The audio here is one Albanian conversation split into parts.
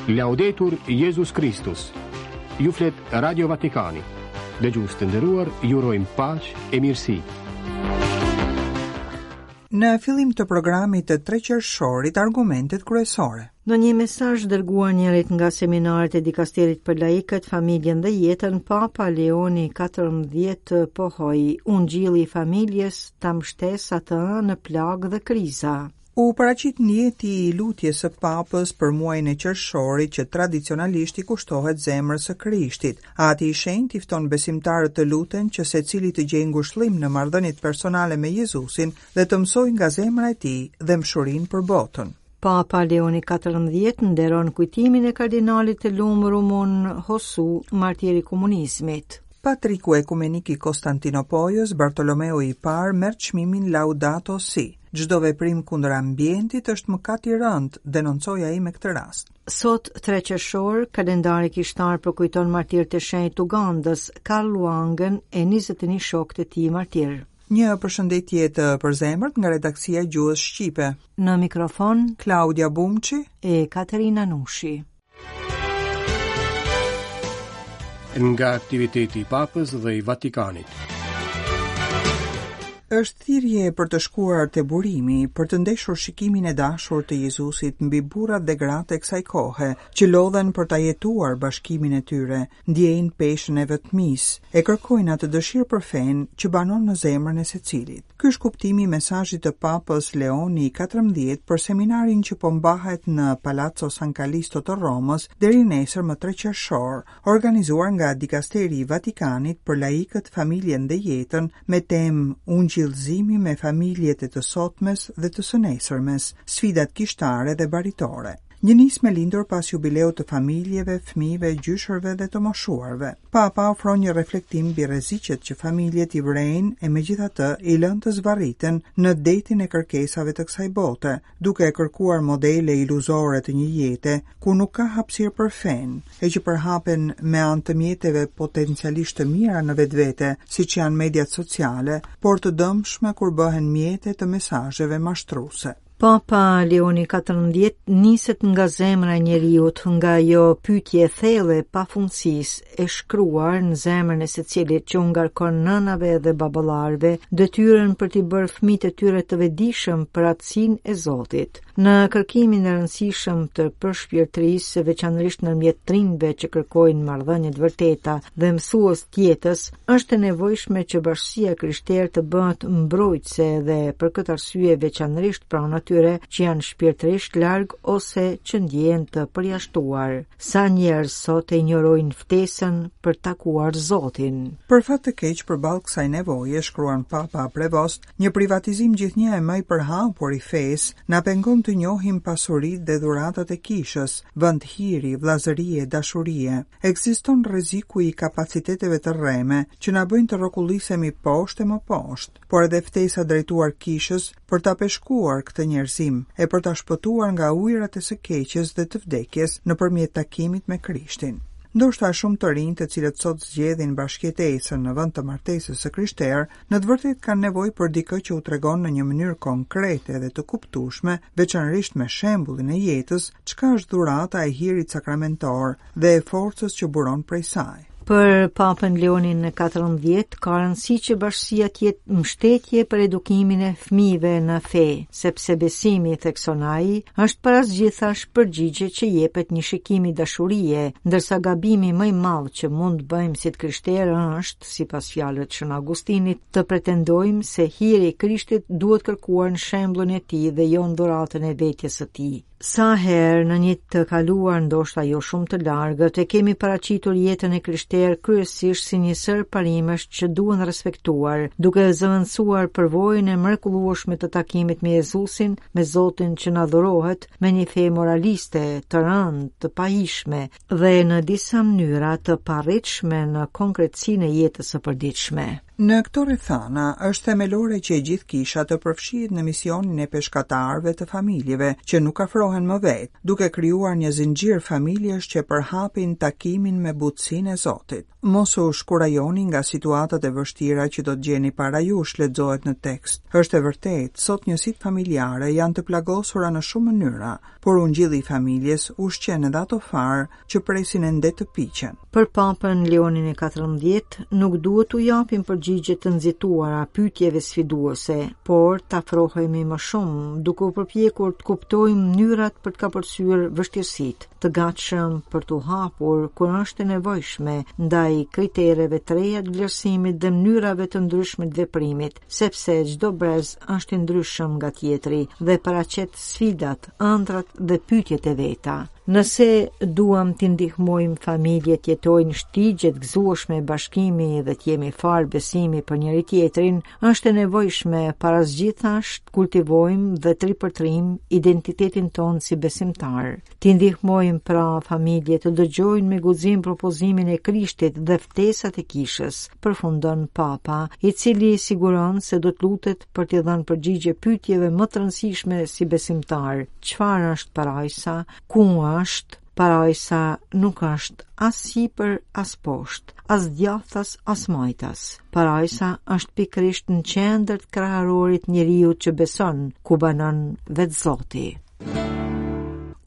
Laudetur Jezus Kristus. Ju flet Radio Vatikani. Dëgjues të nderuar, ju urojmë paqe e mirësi. Në fillim të programit të 3 qershorit, argumentet kryesore. Në një mesazh dërguar njërit nga seminaret e dikasterit për laikët, familjen dhe jetën, Papa Leoni XIV pohoi, Ungjilli i familjes ta mbështesë atë në plagë dhe kriza. U paraqit nijeti i lutjes së Papës për muajin e qershorit që tradicionalisht i kushtohet zemrës së Krishtit. Ati i Shenjtë i fton besimtarët të luten që secili të gjejë ngushëllim në marrëdhëniet personale me Jezusin dhe të mësojë nga zemra e tij dhembshurinë për botën. Papa Leoni XIV nderon kujtimin e kardinalit të lum rumun Hossu, martir i komunizmit. Patriku ekumenik i Konstantinopojës, Bartolomeu i Parë, merr çmimin Laudato Si. Çdo veprim kundër ambientit është mëkat i rëndë, denoncoi ai me këtë rast. Sot, 3 qershor, kalendari kishtar përkujton martirët e shenjtë të Ugandës, Karl Lwangën e 21 shokët e tij martirë. Një përshëndetje të përzemërt nga redaksia e Gjuhës Shqipe. Në mikrofon Klaudia Bumçi e Katerina Nushi. Nga aktiviteti i Papës dhe i Vatikanit. Është thirrje për të shkuar te burimi, për të ndeshur shikimin e dashur të Jezusit mbi burrat dhe gratë e kësaj kohe, që lodhen për ta jetuar bashkimin e tyre, ndjejnë peshën e vetmisë, e kërkojnë atë dëshirë për fenë që banon në zemrën e secilit. Ky është kuptimi i mesazhit të Papës Leoni XIV për seminarin që po mbahet në Palazzo San Calisto të Romës deri nesër më 3 qershor, organizuar nga Dikasteri i Vatikanit për laikët, familjen dhe jetën me temë Ungjillëzimi me familjet e të sotmes dhe të së nesërmes, sfidat kishtare dhe baritore. Një nismë e lindur pas jubileut të familjeve, fëmijëve, gjyshërve dhe të moshuarve. Papa ofron një reflektim mbi rreziqet që familjet i vërejnë e megjithatë i lënë të zvarriten në detin e kërkesave të kësaj bote, duke kërkuar modele iluzore të një jete ku nuk ka hapësirë për fenë, e që përhapen me anë të mjeteve potencialisht të mira në vetvete, siç janë mediat sociale, por të dëmshme kur bëhen mjete të mesazheve mashtruese. Papa Leoni XIV niset nga zemra e njeriut, nga ajo pyetje e thellë e pafundësisë, e shkruar në zemrën e secilit që u ngarkon nënave dhe baballarëve detyrën për t'i bërë fëmijët e tyre të vetëdijshëm për atësinë e Zotit. Në kërkimin e rëndësishëm të përshpirtërisë, veçanërisht ndërmjet të rinjve që kërkojnë marrëdhënie të vërteta dhe mësues të jetës, Është e nevojshme që bashkësia e krishterë të bëhet mbrojtëse dhe për këtë arsye veçanërisht pranë atyre që janë shpirtërisht larg ose që ndjehen të përjashtuar. Sa njerëz sot e injorojnë ftesën për të takuar Zotin. Për fat të keq përballë kësaj nevoje, shkruan Papa Prevost, një privatizim gjithnjë e më i përhapur i fesë na pengon të njohim pasuritë dhe dhuratat e kishës, vend hiri, vëllazërie, dashurie. Ekziston rreziku i kapaciteteve të rreme që na bëjnë të rrokullisemi poshtë e më poshtë, por edhe ftesa drejtuar kishës për ta peshkuar këtë njerëzim e për ta shpëtuar nga ujërat e së keqes dhe të vdekjes nëpërmjet takimit me Krishtin. Ndoshta shumë të rinj të cilët sot zgjedhin bashkëjetesën në vend të martesës së krishterë, në të vërtetë kanë nevojë për dikë që u tregon në një mënyrë konkrete dhe të kuptueshme, veçanërisht me shembullin e jetës, çka është dhurata e hirit sakramentor dhe e forcës që buron prej saj. Për Papën Leonin XIV ka rëndësi që bashkësia të jetë mbështetje për edukimin e fëmijëve në fe, sepse besimi, thekson ai, është para së gjithash përgjigje që jepet një shikimi dashurie, ndërsa gabimi më i madh që mund të bëjmë si të krishterë është, sipas fjalëve të Shën Augustinit, të pretendojmë se hiri i Krishtit duhet kërkuar në shembullin e tij dhe jo në dhuratën e vetjes së tij. Sa herë në një të kaluar ndoshta jo shumë të largët e kemi paraqitur jetën e krishterë kryesisht si një sërë parimesh që duhen respektuar, duke zëvendësuar përvojën e mrekullueshme të takimit me Jezusin, me Zotin që na dhurohet, me një fe moraliste, të rëndë, të pahijshme dhe në disa mënyra të paarritshme në konkretësinë e jetës së përditshme. Në këto rrethana, është themelore që e gjithë kisha të përfshihet në misionin e peshkatarëve të familjeve që nuk afrohen më vetë, duke krijuar një zinxhir familjesh që përhapin takimin me butësinë e Zotit. Mos u shkurajoni nga situatat e vështira që do të gjeni para jush, lexohet në tekst. Është e vërtetë, sot njësitë familjare janë të plagosura në shumë mënyra, por ungjilli i familjes ushqen edhe ato farë që presin ende të piqen. Për Papën Leonin e 14 nuk duhet t'u japim përgjigje të nxituara pyetjeve sfiduese, por të afrohemi më shumë, duke u përpjekur të kuptojmë mënyrat për të kapërcyer vështirësitë, të gatshëm për t'u hapur kur është e nevojshme ndaj kritereve të reja të vlerësimit dhe mënyrave të ndryshme të veprimit, sepse çdo brez është i ndryshëm nga tjetri dhe paraqet sfidat, ëndrrat dhe pyetjet e veta. Nëse duam t'i ndihmojmë familjet të jetojnë shtigje të gëzueshme bashkimi dhe të jemi farë besimi për njëri-tjetrin, është e nevojshme para së gjithash të kultivojmë dhe të ripërtërijmë identitetin tonë si besimtarë. T'i ndihmojmë pra familjet të dëgjojnë me guxim propozimin e Krishtit dhe ftesat e kishës, përfundon Papa, i cili siguron se do të lutet për t'i dhënë përgjigje pyetjeve më të rëndësishme si besimtarë. Çfarë është parajsa? Ku është? Parajsa nuk është as sipër, as poshtë, as djathtas, as majtas. Parajsa është pikërisht në qendër të kraharorit të njeriut që beson, ku banon vetë Zoti.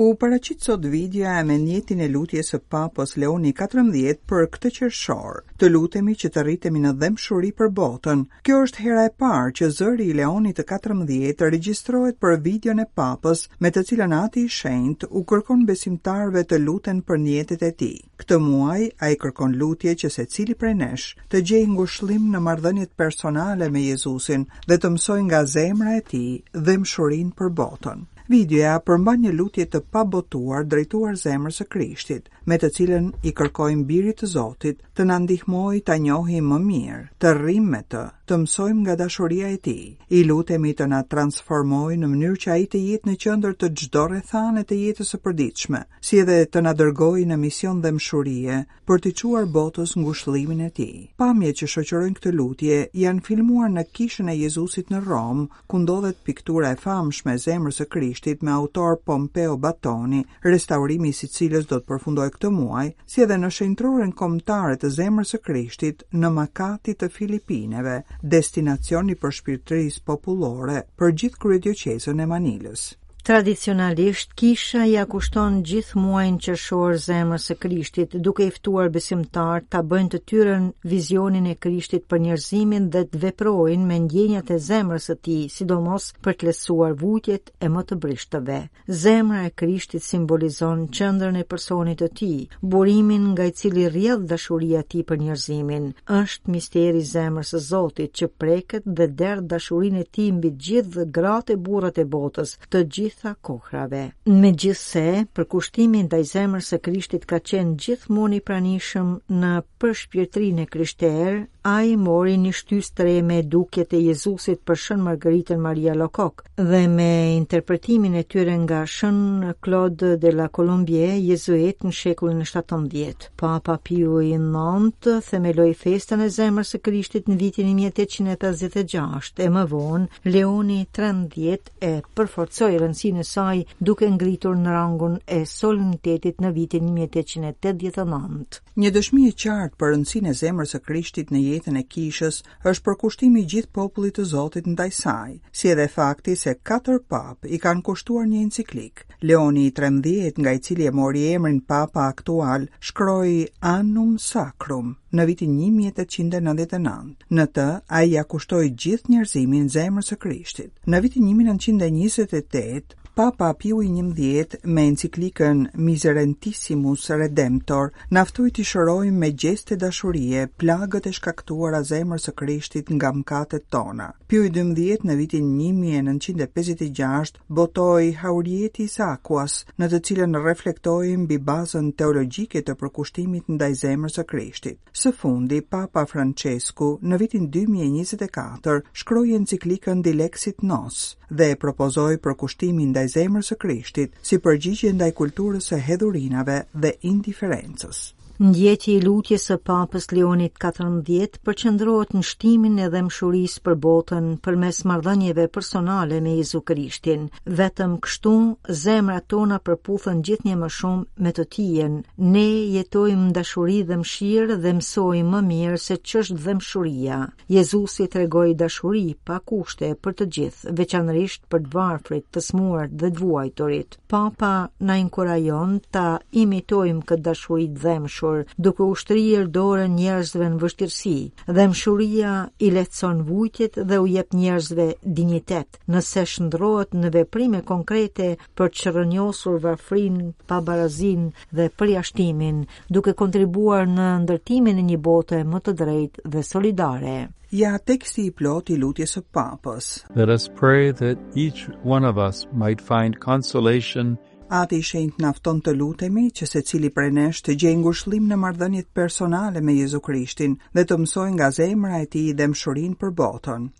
U paraqit sot videoja me nijetin e lutjes së Papës Leoni XIV për këtë qershor. Të lutemi që të rritemi në dhembshuri për botën. Kjo është hera e parë që zëri i Leonit të 14 regjistrohet për videon e Papës, me të cilën Ati i Shenjtë u kërkon besimtarëve të luten për nijetet e tij. Këtë muaj ai kërkon lutje që secili prej nesh të gjejë ngushëllim në marrëdhëniet personale me Jezusin dhe të mësojë nga zemra e tij dhembshurinë për botën. Videoja përmban një lutje të pabotuar drejtuar zemrës së Krishtit, me të cilën i kërkojmë Birit të Zotit të na ndihmojë ta njohim më mirë, të rrimë me të, të mësojmë nga dashuria e tij. I lutemi të na transformojë në mënyrë që ai të jetë në qendër të çdo rrethane të jetës së përditshme, si edhe të na dërgojë në mision dhembshurie për t'i çuar botës ngushëllimin e tij. Pamjet që shoqërojnë këtë lutje janë filmuar në Kishën e Jezusit në Romë, ku ndodhet piktura e famshme e Zemrës së Krishtit me autor Pompeo Batoni, restaurimi i së cilës do të përfundojë këtë muaj, si edhe në Shenjtëroren Kombëtare të Zemrës së Krishtit në Makati të Filipineve, destinacion i përshpirtërisë popullore për gjithë kryedioqezën e Manilës. Tradicionalisht, kisha ia kushton gjithë muajin qershor zemrës së Krishtit, duke i ftuar besimtarët ta bëjnë të tyren vizionin e Krishtit për njerëzimin dhe të veprojnë me ndjenjat e zemrës së tij, sidomos për të lehtësuar vuajtjet e më të brishtëve. Zemra e Krishtit simbolizon qendrën e personit të tij, burimin nga i cili rrjedh dashuria e tij për njerëzimin. Është misteri i zemrës së Zotit që preket dhe derdh dashurinë e tij mbi gjithë gratë e burrat e botës, të gjitha kohrave. Megjithëse, përkushtimi ndaj zemrës së Krishtit ka qenë gjithmonë i pranishëm në përshpirtërinë e krishterë, ai mori një shtysë të re me dukjet e Jezusit për Shën Margaritën Maria Alacoque dhe me interpretimin e tyre nga Shën Claude de la Colombière, jezuit në shekullin e 17. Papa Piu i IX themeloi festën e zemrës së Krishtit në vitin 1856 e më vonë Leoni XIII e përforcoi rëndësinë e saj duke ngritur në rangun e solemnitetit në vitin 1889. Një dëshmi e qartë për rëndësinë e zemrës së Krishtit në jetën e kishës është përkushtimi i gjithë popullit të Zotit ndaj saj, si edhe fakti se katër papë i kanë kushtuar një enciklikë. Leoni i 13, nga i cili e mori emrin Papa aktual, shkroi Annum Sacrum në vitin 1899. Në të, ai ia kushtoi gjithë njerëzimin zemrës së Krishtit. Në vitin 1928, Papa Piu i XI me enciklikën Miserentissimus Redemptor na ftoi t'i shërojmë me gjeste dashurie plagët e shkaktuara zemrës së Krishtit nga mëkatet tona. Piu i XII në vitin 1956 botoi Haurietis Aquas, në të cilën reflektoi mbi bazën teologjike të përkushtimit ndaj zemrës së Krishtit. Së fundi, Papa Françesku në vitin 2024 shkroi enciklikën Dilexit Nos dhe e propozoi përkushtimin ndaj zemrës së Krishtit si përgjigje ndaj kulturës së hedhurinave dhe indiferencës. Ndjeti i lutjes së Papës Leonit 14 përqendrohet në shtimin e dhembshurisë për botën përmes marrëdhënieve personale me Jezu Krishtin. Vetëm kështu zemrat tona përputhen gjithnjë më shumë me të tijën. Ne jetojmë në dashuri dhe mëshirë dhe mësojmë më mirë se ç'është dhembshuria. Jezusi tregoi dashuri pa kushte për të gjithë, veçanërisht për të varfrit, të sëmurët dhe të vuajturit. Papa na inkurajon ta imitojmë këtë dashuri të dhembshur, duke u shtrirë dorën njerëzve në vështirësi. Dhembshuria i lehtëson vujtjet dhe u jep njerëzve dinjitet, nëse shndërrohet në veprime konkrete për të çrrënjosur varfërinë, pabarazinë dhe përjashtimin, duke kontribuar në ndërtimin e një bote më të drejtë dhe solidare. Ja teksti i plotë i lutjes së Papës. Let us pray that each one of us might find consolation Ati i Shenjtë na fton të lutemi që secili prej nesh të gjejë ngushëllim në marrëdhëniet personale me Jezu Krishtin dhe të mësojë nga zemra e tij dhembshurinë për botën.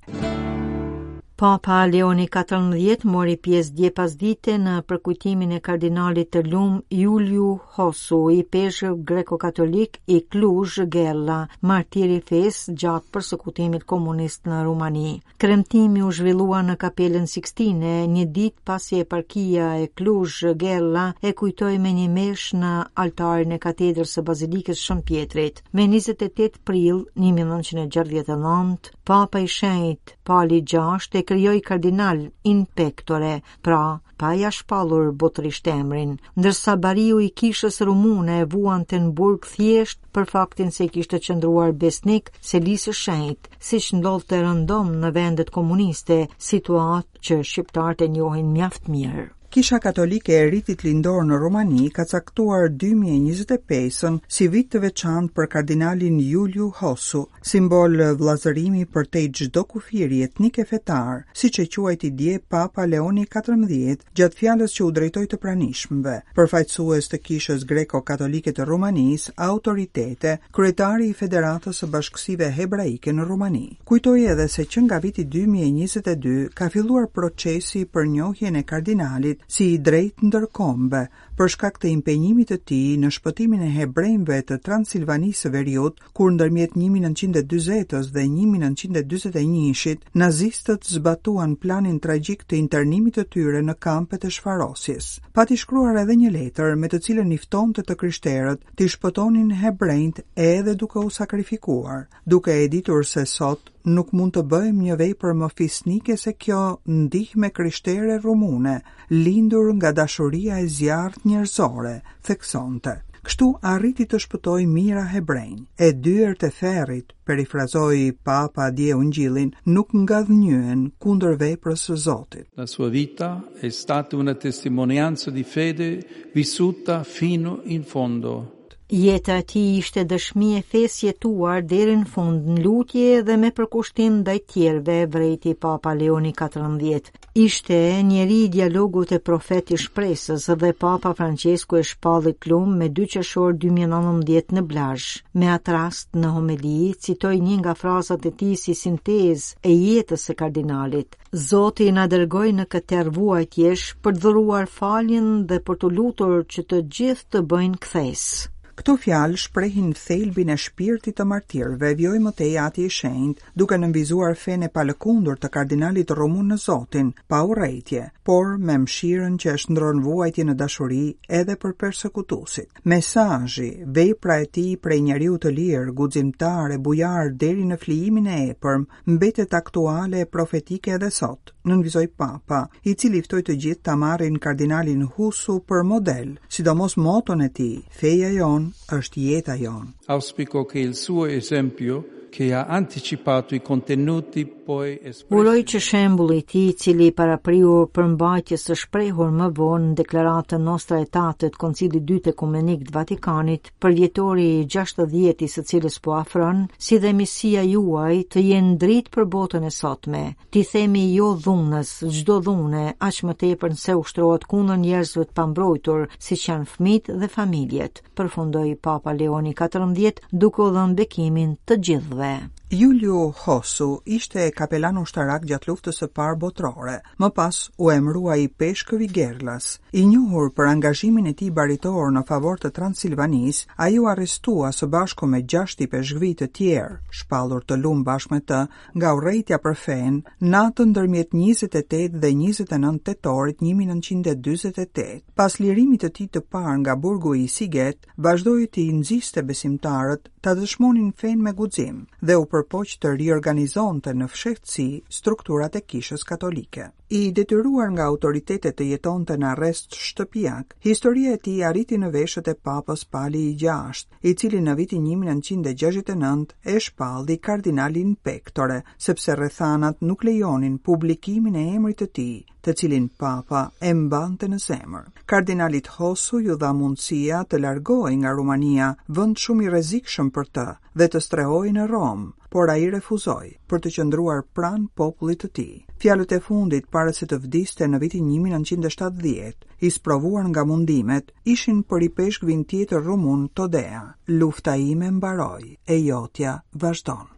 Papa Leoni XIV mori pjesë dje pasdite në përkujtimin e kardinalit të lum Iuliu Hossu, ipeshkëv greko-katolik i Cluj Gherla, martir i fesë gjatë persekutimit komunist në Rumani. Kremtimi u zhvillua në Kapelën Sixtine, një ditë pasi eparkia e Cluj Gherla e kujtoi me një meshë në altarin e katedrës së Bazilikës Shën Pjetrit. Me 28 prill 1969, Papa i Shenjtë Pali VI e krijoi kardinal in pectore, pra pa ia shpallur botërisht emrin, ndërsa bariu i kishës rumune vuante në burg thjesht për faktin se i kishte qëndruar besnik Selisë së Shenjtë, siç ndodhte rëndom në vendet komuniste, situatë që shqiptarët e njohin mjaft mirë. Kisha Katolike e Ritit Lindor në Rumani ka caktuar 2025-ën si vit të veçantë për kardinalin Iuliu Hossu, simbol vëllazërimi përtej çdo kufiri etnik e fetar, siç e quajti dje Papa Leoni XIV gjatë fjalës që u drejtoi të pranishmëve, përfaqësues të Kishës Greko-Katolike të Rumanisë, autoritete, kryetari i Federatës së Bashkësive Hebraike në Rumani. Kujtoi edhe se që nga viti 2022 ka filluar procesi për njohjen e kardinalit si i drejtë ndër kombe, për shkak të impenjimit të tij në shpëtimin e hebrenjve të Transilvanisë së Veriut, kur ndërmjet 1940-ës dhe 1941-shit, nazistët zbatuan planin tragjik të internimit të tyre në kampet e shfarosjes. Pati shkruar edhe një letër me të cilën i ftonte të krishterët t'i shpëtonin hebrenjtë edhe duke u sakrifikuar. duke e ditur se sot nuk mund të bëjmë një vepër më fisnike se kjo ndihmë e krishtere rumune, lindur nga dashuria e zjarrtë njerëzore, theksonte. Kështu arriti të shpëtojë mijëra hebrenj. E dyert e ferrit, perifrazoi Papa dje Ungjillin, nuk ngadhënjyen kundër veprës së Zotit. La sua vita è stata una testimonianza di fede vissuta fino in fondo. Jeta e tij ishte dëshmi e fesë jetuar deri në fund në lutje dhe me përkushtim ndaj tjerëve, vërejti Papa Leoni XIV. Ishte njeri i dialogut e profet i shpresës dhe Papa Francesku e shpalli lum me 2 qershor 2019 në Blaj. Me atë rast në homeli citoi një nga frazat e tij si sintezë e jetës së kardinalit. Zoti na dërgoi në këtë terr vuajtjesh për të dhuruar faljen dhe për t'u lutur që të gjithë të bëjnë kthesë. Këto fjalë shprehin thelbin e shpirtit të martirëve, vijoi më tej Ati i Shenjtë, duke nënvizuar fenë e palëkundur të kardinalit rumun në Zotin, pa urrejtje, por me mëshirën që e shndërron vuajtjen në dashuri edhe për persekutuesit. Mesazhi, vepra e tij prej njeriu të lirë, guximtar e bujar deri në flijimin e epërm, mbetet aktuale e profetike edhe sot, nënvizoi Papa, i cili ftoi të gjithë ta marrin kardinalin Hussu për model, sidomos moton e tij, feja jonë është jeta jonë. Auspico che il suo esempio che ha anticipato i contenuti poi espressi. Uroj që shembulli i tij, i cili i parapriu përmbajtjes së shprehur më vonë në deklaratën Nostra Aetate të Koncilit të Dytë Ekumenik të Vatikanit, përvjetori i 60 i së cilës po afron, si dhe miqësia juaj të jenë dritë për botën e sotme. T'i themi jo dhunës, çdo dhune, aq më tepër nëse ushtrohet kundër njerëzve të pambrojtur, siç janë fëmijët dhe familjet, përfundoi Papa Leoni XIV duke u dhënë bekimin të gjithëve. Iuliu Hossu ishte kapelan ushtarak gjatë Luftës së Parë Botërore. Më pas u emërua ipeshkëv i Gherlas. I njohur për angazhimin e tij baritor në favor të Transilvanisë, ai u arrestua së bashku me gjashtë ipeshkvij të tjerë, shpallur të lumë bashkë me të, nga urrejtja për fenë, natën ndërmjet 28 dhe 29 tetorit 1948. Pas lirimit të tij të parë nga burgu i Sighet, vazhdoi t'i nxiste besimtarët ta dëshmonin fenë me guxim dhe u përpoq të riorganizonte në fshehtësi strukturat e Kishës Katolike. I detyruar nga autoritetet të jetonte në arrest shtëpiak, historia e tij arriti në veshët e Papës Pali i VI, i cili në vitin 1969 e shpalli kardinal in pectore, sepse rrethanat nuk lejonin publikimin e emrit të tij, të cilin Papa e mbante në zemër. Kardinalit Hossu iu dha mundësia të largohej nga Rumania, vend shumë i rrezikshëm për të, dhe të strehohej në Romë, por ai refuzoi, për të qëndruar pranë popullit të tij. Fjalët e fundit para se të vdiste në vitin 1970, i sprovuar nga mundimet, ishin për ipeshkvin tjetër rumun Todea. Lufta ime mbaroi, e jotja vazhdon.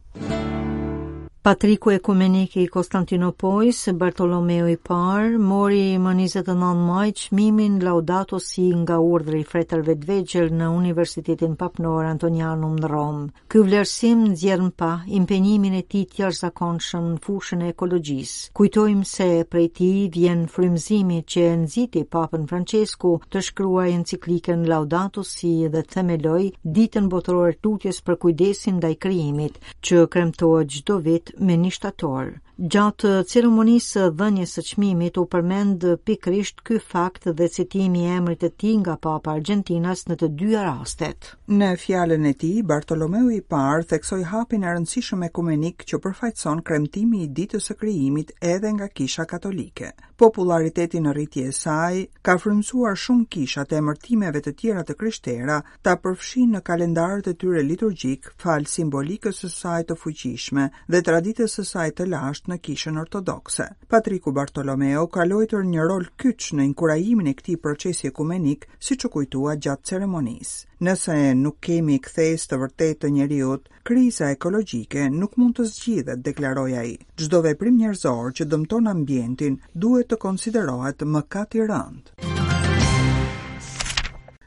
Patriku ekumenik i Konstantinopojës, Bartolomeu i Parë, mori më 29 maj çmimin Laudato Si nga Urdhri i Fretërve të Vegjël në Universitetin Papnor Antonianum në Romë. Ky vlerësim nxjerr në pah impenjimin e tij të jashtëzakonshëm në fushën e ekologjisë. Kujtojmë se prej tij vjen frymëzimi që e nxiti Papën Françesku të shkruajë enciklikën Laudato Si dhe të themelojë Ditën Botërore të Lutjes për kujdesin ndaj krijimit, që kremtohet çdo vit me një shtator. Gjatë ceremonisë së dhënies së çmimit u përmend pikërisht ky fakt dhe citimi i emrit të tij nga Papa Argjentinas në të dyja rastet. Në fjalën e tij, Bartolomeu i Parë theksoi hapin e rëndësishëm ekumenik që përfaqëson kremtimi i Ditës së Krijimit edhe nga Kisha Katolike. Popullariteti në rritje e saj ka frymëzuar shumë kisha të emërtimeve të tjera të krishtera ta përfshijnë në kalendarët e tyre liturgjikë falë simbolikës së saj të fuqishme dhe traditës së saj të lashtë në Kishën Ortodokse. Patriku Bartolomeo ka luajtur një rol kyç në inkurajimin e këtij procesi ekumenik, siç u kujtua gjatë ceremonisë. Nëse nuk kemi kthesë të vërtetë të njeriut, kriza ekologjike nuk mund të zgjidhet, deklaroi ai. Çdo veprim njerëzor që dëmton ambientin duhet të konsiderohet mëkat i rëndë.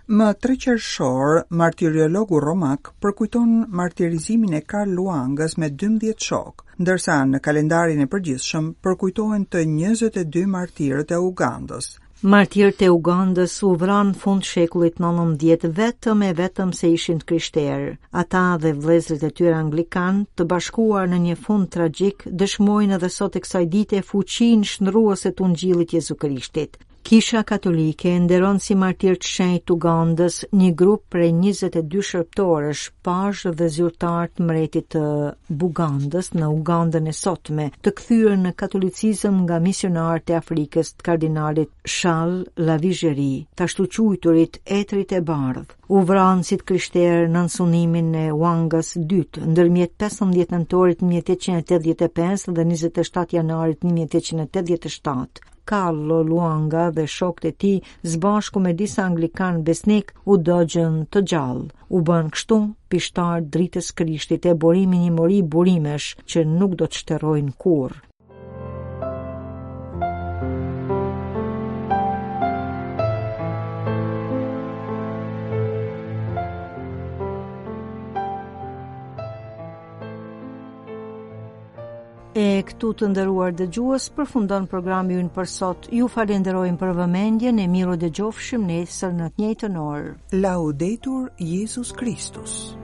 Më 3 qershor, martiriologu romak përkujton martirizimin e Karl Luangës me 12 shokë, ndërsa në kalendarin e përgjithshëm përkujtohen të 22 martirët e Ugandës. Martirët e Ugandës u vranë fund shekullit 19 vetëm e vetëm se ishin të krishterë. Ata dhe vëllezërit e tyre anglikanë, të bashkuar në një fund tragjik, dëshmojnë edhe sot e kësaj dite fuqinë shndërruese të Ungjillit Jezu Krishtit. Kisha Katolike nderon si martirë të shenjtë të Ugandës një grup prej 22 shërbëtorësh, pazhë dhe zyrtarë të mbretit të Bugandës në Ugandën e sotme, të kthyer në katolicizëm nga misionarët e Afrikës të kardinalit Charles Lavigerie, të ashtuquajturit etërit e bardhë. U vranë si të krishterë nën sundimin e Wangas II, ndërmjet 15 nëntorit 1885 dhe 27 janarit 1887. Carlo Luanga dhe shokët e tij, së bashku me disa anglikanë besnikë, u dogjën të gjallë. U bënë kështu pishtarë të dritës Krishtit e burim i një mori burimesh që nuk do të shterojnë kurrë. E këtu të nderuar dëgjues përfundon programi ynë për sot. Ju falenderojmë për vëmendjen e mirudëgjofshim nesër në të njëjtën orë. Laudetur Jezus Kristus.